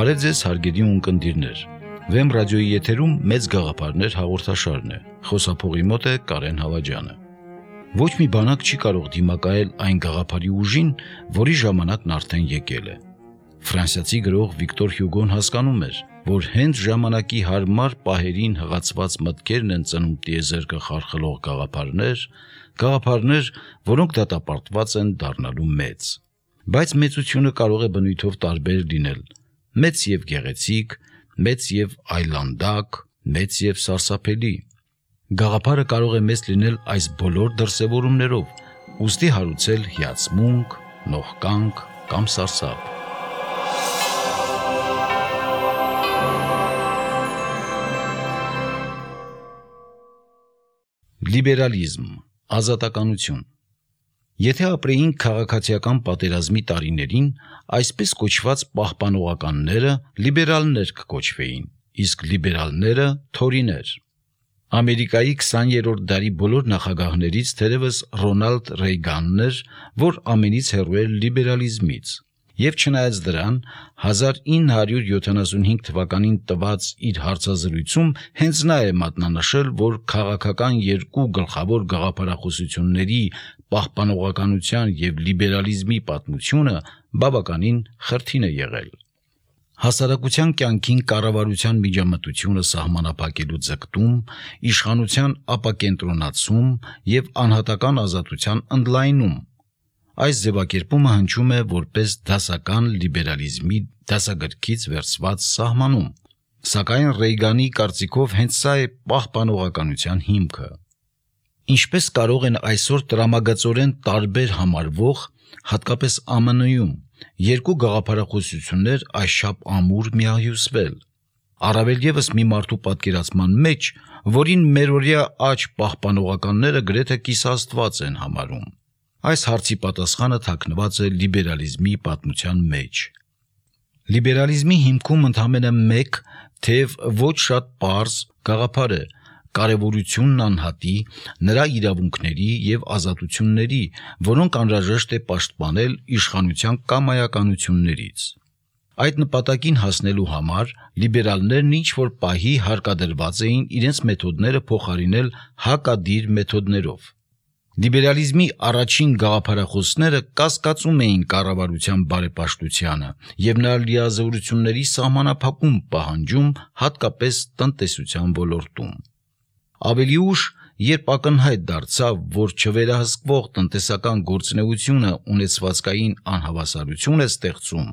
Բարև ձեզ հարգելի ունկնդիրներ, Վեմ ռադիոյի եթերում մեծ գաղափարներ հաղորդաշարն է, խոսափողի մոտ է Կարեն Հավաջյանը։ Ոչ մի բանակ չի կարող դիմակայել այն գաղափարի ուժին, որի ժամանակն արդեն եկել է։ Ֆրանսիացի գրող Վիկտոր Հյուգոն հասկանում էր, որ հենց ժամանակի հարմար պահերին հղացված մտքերն են ծնում տիեզերքը խարխլող գաղափարներ, որոնք դատապարտված են դառնալու մեծ։ Բայց մեծությունը կարող է բնույթով տարբեր լինել, մեծ եւ գեղեցիկ, մեծ եւ այլանդակ, մեծ եւ սարսափելի։ Գաղափարը կարող է մեծ լինել այս բոլոր դրսևորումներով, ուստի հարուցել հիացմունք, նողկանք կամ սարսափ։ Լիբերալիզմ, ազատականություն։ Եթե ապրեինք քաղաքացիական պատերազմի տարիներին, այսպես կոչված պահպանողականները լիբերալներ կկոչվեին, իսկ լիբերալները թորիներ։ Ամերիկայի 20-րդ դարի բոլոր նախագահներից թերևս Ռոնալդ Ռեյգանն էր, որ ամենից հեռու էր լիբերալիզմից։ Եվ չնայած դրան, 1975 թվականին տված իր հարցազրույցում հենց նա է մատնանշել, որ քաղաքական երկու գլխավոր գաղափարախոսությունների պահպանողականության և լիբերալիզմի պատմությունը բավականին խրթին է եղել։ Հասարակության կյանքին կառավարության միջամտությունը սահմանափակելու ձգտում, իշխանության ապակենտրոնացում և անհատական ազատության ընդլայնում։ Այս ձևակերպումը հնչում է որպես դասական լիբերալիզմի դասագրքից վերցված սահմանում, սակայն Ռեյգանի կարծիքով հենց սա է պահպանողականության հիմքը։ Ինչպես կարող են այսօր տրամագծորեն տարբեր համարվող, հատկապես ԱՄՆ-ում, երկու գաղափարախոսություններ այսչափ ամուր միահյուսվել, առավել ևս մի մարդու պատկերացման մեջ, որին մերօրյա աջ պահպանողականները գրեթե կիսաստված են համարում։ Այս հարցի պատասխանը թաքնված է լիբերալիզմի պատմության մեջ։ Լիբերալիզմի հիմքում ընդամենը մեկ, թեև ոչ շատ պարզ գաղափար է, կարևորությունն անհատի, նրա իրավունքների և ազատությունների, որոնք անհրաժեշտ է պաշտպանել իշխանության կամայականություններից։ Այդ նպատակին հասնելու համար լիբերալներն ինչ-որ պահի հարկադրված էին իրենց մեթոդները փոխարինել հակադիր մեթոդներով։ Լիբերալիզմի առաջին գաղափարախոսները կասկածում էին կառավարության բարեպաշտությանը և նրա լիազորությունների սահմանափակում պահանջում, հատկապես տնտեսության ոլորտում։ Ավելի ուշ, երբ ակնհայտ դարձավ, որ չվերահսկվող տնտեսական գործունեությունը ունեցվածքային անհավասարություն է ստեղծում,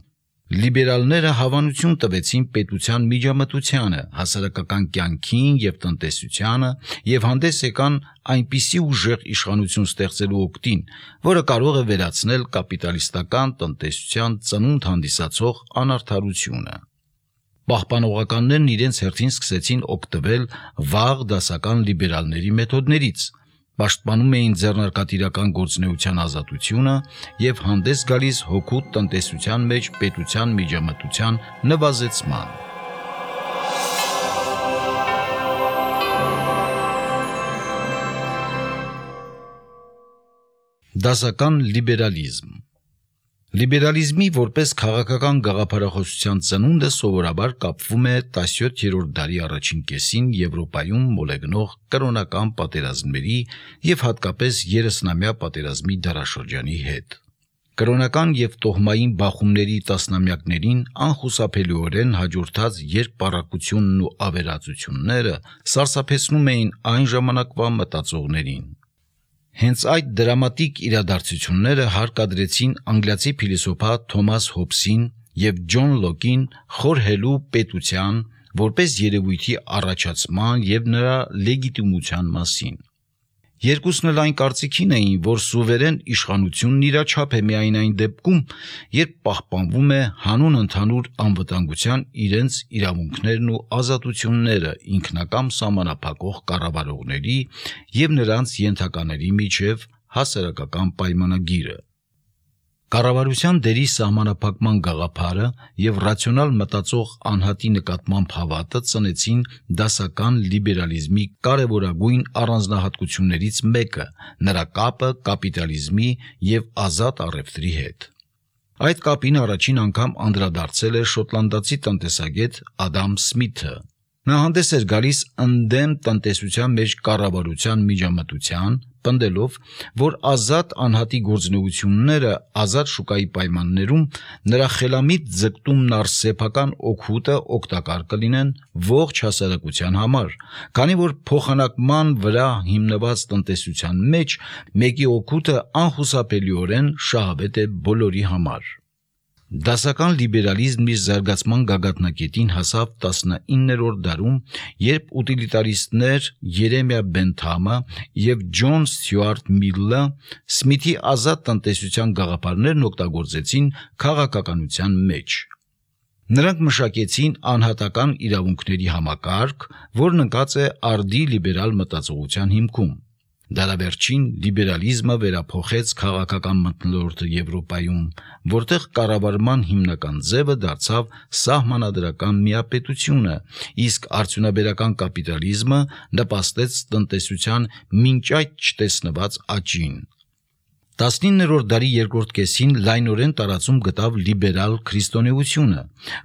լիբերալները հավանություն տվեցին պետության միջամտությանը, հասարակական կյանքին և տնտեսությանը և հանդես եկան այնպիսի ուժեղ իշխանություն ստեղծելու օգտին, որը կարող է վերացնել կապիտալիստական տնտեսության ծնունդ հանդիսացող անարդարությունը։ Պահպանողականներն իրենց հերթին սկսեցին օգտվել վաղ դասական լիբերալների մեթոդներից, պաշտպանում էին ձեռնարկատիրական գործունեության ազատությունը և հանդես գալիս հօգուտ տնտեսության մեջ պետության միջամտության նվազեցման։ Դասական լիբերալիզմ։ Լիբերալիզմի որպես քաղաքական գաղափարախոսության ծնունդը սովորաբար կապվում է 17-րդ դարի առաջին կեսին Եվրոպայում մոլեգնող կրոնական պատերազմների և հատկապես 30-ամյա պատերազմի դարաշրջանի հետ։ Կրոնական և տոհմային բախումների տասնամյակներին անխուսափելիորեն հաջորդած երկպառակությունն ու ավերածությունները սարսափեցնում էին այն ժամանակվա մտածողներին։ Հենց այդ դրամատիկ իրադարձությունները հարկադրեցին անգլիացի փիլիսոփա Թոմաս Հոբսին և Ջոն Լոկին խորհելու պետության որպես երևույթի առաջացման և նրա լեգիտիմության մասին։ Երկուսն էլ այն կարծիքին էին, որ սուվերեն իշխանությունն իրաչափ է միայն այն դեպքում, երբ պահպանվում է հանուն ընդհանուր անվտանգության իրենց իրավունքներն ու ազատությունները ինքնակամ սահմանափակող կառավարողների և նրանց ենթակաների միջև հասարակական պայմանագիրը։ Կառավարության դերի սահմանափակման գաղափարը և ռացիոնալ մտածող անհատի նկատմամբ հավատը ծնեցին դասական լիբերալիզմի կարևորագույն առանձնահատկություններից մեկը՝ նրա կապը կապիտալիզմի և ազատ առևտրի հետ։ Այդ կապին առաջին անգամ անդրադարձել է շոտլանդացի տնտեսագետ Ադամ Սմիթը։ Նա հանդես էր գալիս ընդդեմ տնտեսության մեջ կառավարության միջամտության, պնդելով, որ ազատ անհատի գործունեությունները ազատ շուկայի պայմաններում նրա խելամիտ ձգտումն առ սեփական օգուտը օգտակար կլինեն ողջ հասարակության համար, քանի որ փոխանակման վրա հիմնված տնտեսության մեջ մեկի օգուտը անխուսափելիորեն շահավետ է բոլորի համար։ Դասական լիբերալիզմն իր զարգացման գագաթնակետին հասավ 19-րդ դարում, երբ ուտիլիտարիստներ Երեմիա Բենթամը և Ջոն Ստյուարտ Միլը Սմիթի ազատ տնտեսության գաղափարներն օգտագործեցին քաղաքականության մեջ։ Նրանք մշակեցին անհատական իրավունքների համակարգ, որն ընկած է արդի լիբերալ մտածողության հիմքում։ Դարավերջին լիբերալիզմը վերափոխեց քաղաքական մթնոլորտը Եվրոպայում, որտեղ կառավարման հիմնական ձևը դարձավ սահմանադրական միապետությունը, իսկ արդյունաբերական կապիտալիզմը նպաստեց տնտեսության մինչ այդ չտեսնված աճին։ 19-րդ դարի երկրորդ կեսին լայնորեն տարածում գտավ լիբերալ քրիստոնեությունը,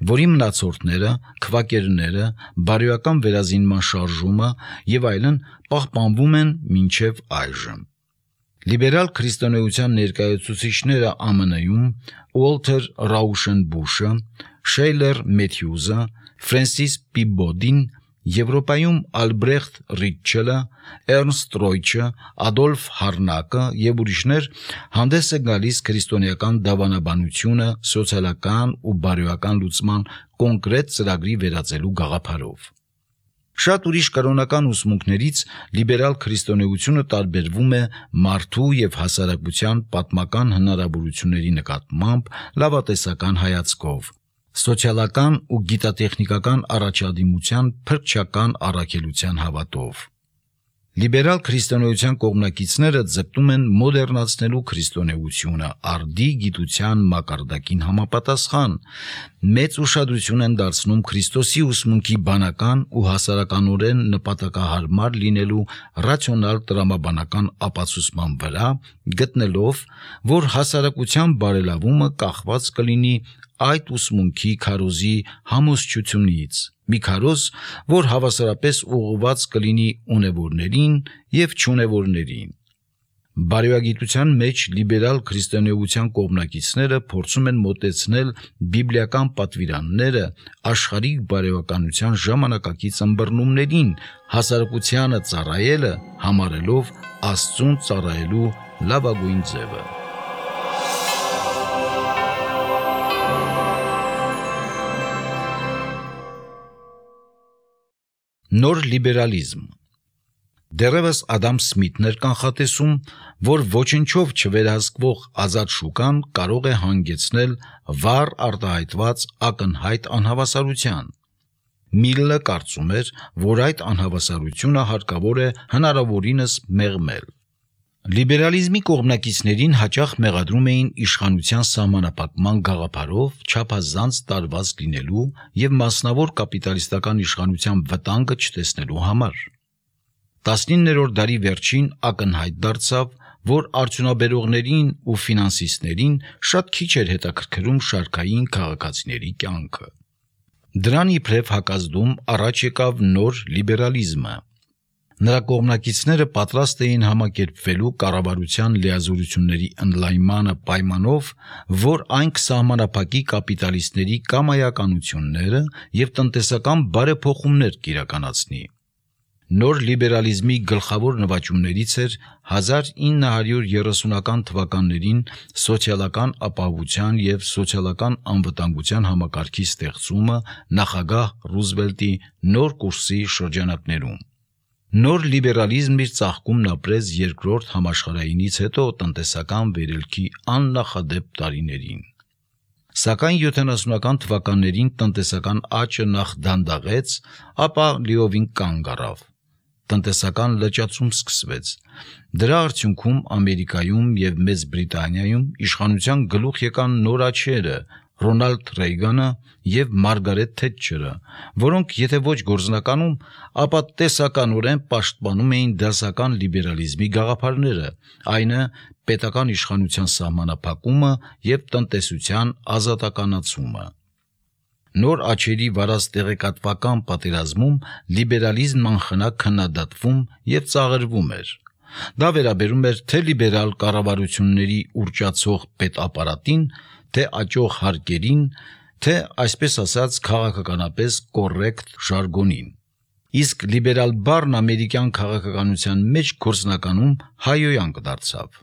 որի մնացորդները, քվակերները, բարոյական վերազինման շարժումը և այլն պահպանվում են մինչև այժմ։ Լիբերալ քրիստոնեության ներկայացուցիչները ԱՄՆ-ում Ուոլթեր Ռաուշենբուշը, Շեյլեր Մեթյուզը, Ֆրենսիս Պիբոդին, Եվրոպայում Ալբրեխտ Ռիտչելը, Էրնստ Ռոյչը, Ադոլֆ Հարնակը և ուրիշներ հանդես է գալիս քրիստոնեական դավանաբանությունը սոցիալական ու բարոյական լուծման կոնկրետ ծրագրի վերածելու գաղափարով։ Շատ ուրիշ կրոնական ուսմունքներից լիբերալ քրիստոնեությունը տարբերվում է մարդու և հասարակության պատմական հնարավորությունների նկատմամբ լավատեսական հայացքով, սոցիալական ու գիտատեխնիկական առաջադիմության փրկչական առաքելության հավատով։ Լիբերալ քրիստոնեության կողմնակիցները ձգտում են մոդեռնացնելու քրիստոնեությունը արդի գիտության մակարդակին համապատասխան, մեծ ուշադրություն են դարձնում Քրիստոսի ուսմունքի բանական ու հասարականորեն նպատակահարմար լինելու ռացիոնալ տրամաբանական ապացուցման վրա, գտնելով, որ հասարակության բարելավումը կախված կլինի այդ ուսմունքի քարոզի համոզչությունից, մի քարոզ, որ հավասարապես ուղղված կլինի ունևորներին և չունևորներին։ Բարոյագիտության մեջ լիբերալ քրիստոնեության կողմնակիցները փորձում են մոտեցնել բիբլիական պատվիրանները աշխարհիկ բարոյականության ժամանակակից ըմբռնումներին, հասարակությանը ծառայելը համարելով Աստծուն ծառայելու լավագույն ձևը։ Նոր լիբերալիզմ։ Դեռևս Ադամ Սմիթն էր կանխատեսում, որ ոչնչով չվերահսկվող ազատ շուկան կարող է հանգեցնել վառ արտահայտված ակնհայտ անհավասարության։ Միլը կարծում էր, որ այդ անհավասարությունը հարկավոր է հնարավորինս մեղմել։ Լիբերալիզմի կողմնակիցներին հաճախ մեղադրում էին իշխանության սահմանափակման գաղափարով չափազանց տարված լինելու և մասնավոր կապիտալիստական իշխանության վտանգը չտեսնելու համար։ 19-րդ դարի վերջին ակնհայտ դարձավ, որ արդյունաբերողներին ու ֆինանսիստներին շատ քիչ էր հետաքրքրում շարքային քաղաքացիների կյանքը։ Դրան իբրև հակազդում առաջ եկավ նոր լիբերալիզմը։ Նրա կողմնակիցները պատրաստ էին համակերպվելու կառավարության լիազորությունների ընդլայնմանը պայմանով, որ այն կսահմանափակի կապիտալիստների կամայականությունները և տնտեսական բարեփոխումներ կիրականացնի։ Նոր լիբերալիզմի գլխավոր նվաճումներից էր 1930-ական թվականներին սոցիալական ապահովության և սոցիալական անվտանգության համակարգի ստեղծումը նախագահ Ռուզվելտի նոր կուրսի շրջանակներում։ Նոր լիբերալիզմն իր ծաղկումն ապրեց երկրորդ համաշխարհայինից հետո տնտեսական վերելքի աննախադեպ տարիներին։ Սակայն 70-ական թվականներին տնտեսական աճը նախ դանդաղեց, ապա լիովին կանգ առավ։ Տնտեսական լճացում սկսվեց։ Դրա արդյունքում Ամերիկայում և Մեծ Բրիտանիայում իշխանության գլուխ եկան նոր աճերը, Ռոնալդ Ռեյգանը եւ Մարգարետ Թետչերը, որոնք եթե ոչ գործնականում, ապա տեսականորեն պաշտպանում էին դասական լիբերալիզմի գաղափարները, այնը պետական իշխանության սահմանափակումը եւ տնտեսության ազատականացումը։ Նոր աչերի վարած տեղեկատվական պատերազմում լիբերալիզմն անխնա քննադատվում եւ ծաղրվում էր։ Դա վերաբերում էր թե լիբերալ կառավարությունների ուռճացող պետապարատին, թե աճող հարկերին, թե այսպես ասած քաղաքականապես կոռեկտ ժարգոնին։ Իսկ լիբերալ բառն ամերիկյան քաղաքականության մեջ գործնականում հայոյանք դարձավ։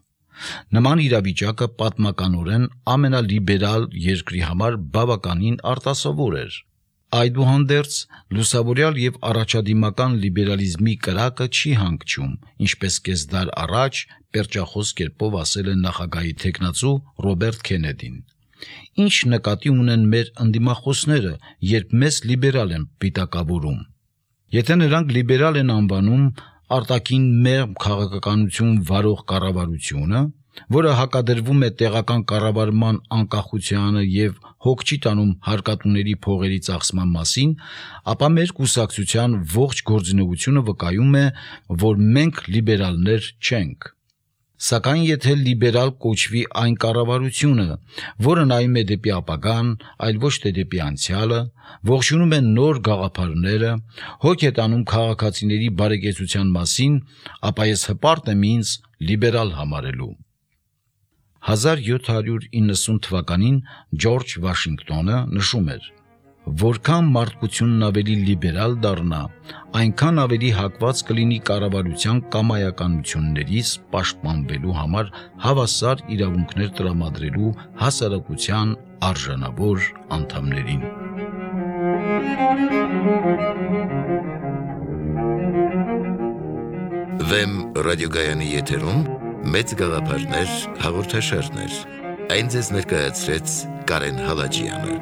Նման իրավիճակը պատմականորեն ամենալիբերալ երկրի համար բավականին արտասովոր էր։ Այդուհանդերձ լուսավորյալ եւ առաջադիմական լիբերալիզմի կրակը չի հանգչում, ինչպես կես դար առաջ պերճախոս կերպով ասել է նախագահի թեկնածու Ռոբերտ Քենեդին։ Ինչ նկատի ունեն մեր ընդդիմախոսները, երբ մեզ լիբերալ են պիտակավորում։ Եթե նրանք լիբերալ են անվանում արտաքին մեղմ քաղաքականություն վարող կառավարությունը, որը հակադրվում է տեղական կառավարման անկախությանը եւ հոգ չի տանում հարկատուների փողերի ծախսման մասին, ապա մեր կուսակցության ողջ գործունեությունը վկայում է, որ մենք լիբերալներ չենք։ Սակայն եթե լիբերալ կոչվի այն կառավարությունը, որը նայում է դեպի ապագան, այլ ոչ թե դեպի անցյալը, ողջունում է նոր գաղափարները, հոգ է տանում քաղաքացիների բարեկեցության մասին, ապա ես հպարտ եմ ինձ լիբերալ համարելու։ 1790 թվականին Ջորջ Վաշինգտոնը նշում էր. որքան մարդկությունն ավելի լիբերալ դառնա, այնքան ավելի հակված կլինի կառավարության կամայականություններից պաշտպանվելու համար հավասար իրավունքներ տրամադրելու հասարակության արժանավոր անդամներին։ Վեմ ռադիոգայանի եթերում մեծ գաղափարներ հաղորդաշարներ։ Այն ձեզ ներկայացրեց Կարեն Հալաջյանը։